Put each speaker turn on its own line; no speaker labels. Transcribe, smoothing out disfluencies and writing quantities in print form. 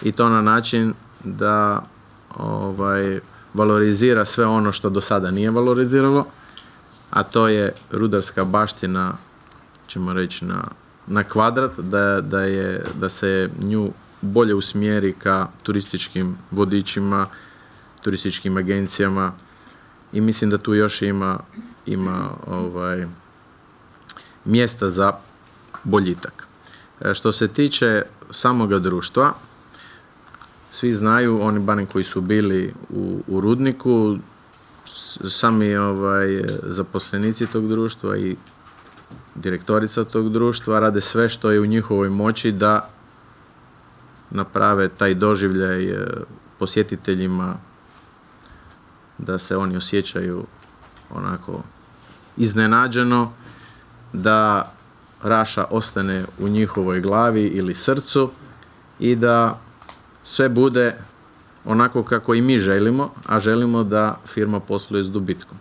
i to na način da valorizira sve ono što do sada nije valoriziralo, a to je rudarska baština, ćemo reći, na kvadrat, da se nju bolje usmjeri ka turističkim vodičima, turističkim agencijama, i mislim da tu još ima mjesta za boljitak. Što se tiče samoga društva, svi znaju, oni barem koji su bili u rudniku, sami zaposlenici tog društva i direktorica tog društva rade sve što je u njihovoj moći da naprave taj doživljaj posjetiteljima, da se oni osjećaju onako iznenađeno, da Raša ostane u njihovoj glavi ili srcu i da sve bude onako kako i mi želimo, a želimo da firma posluje s dobitkom.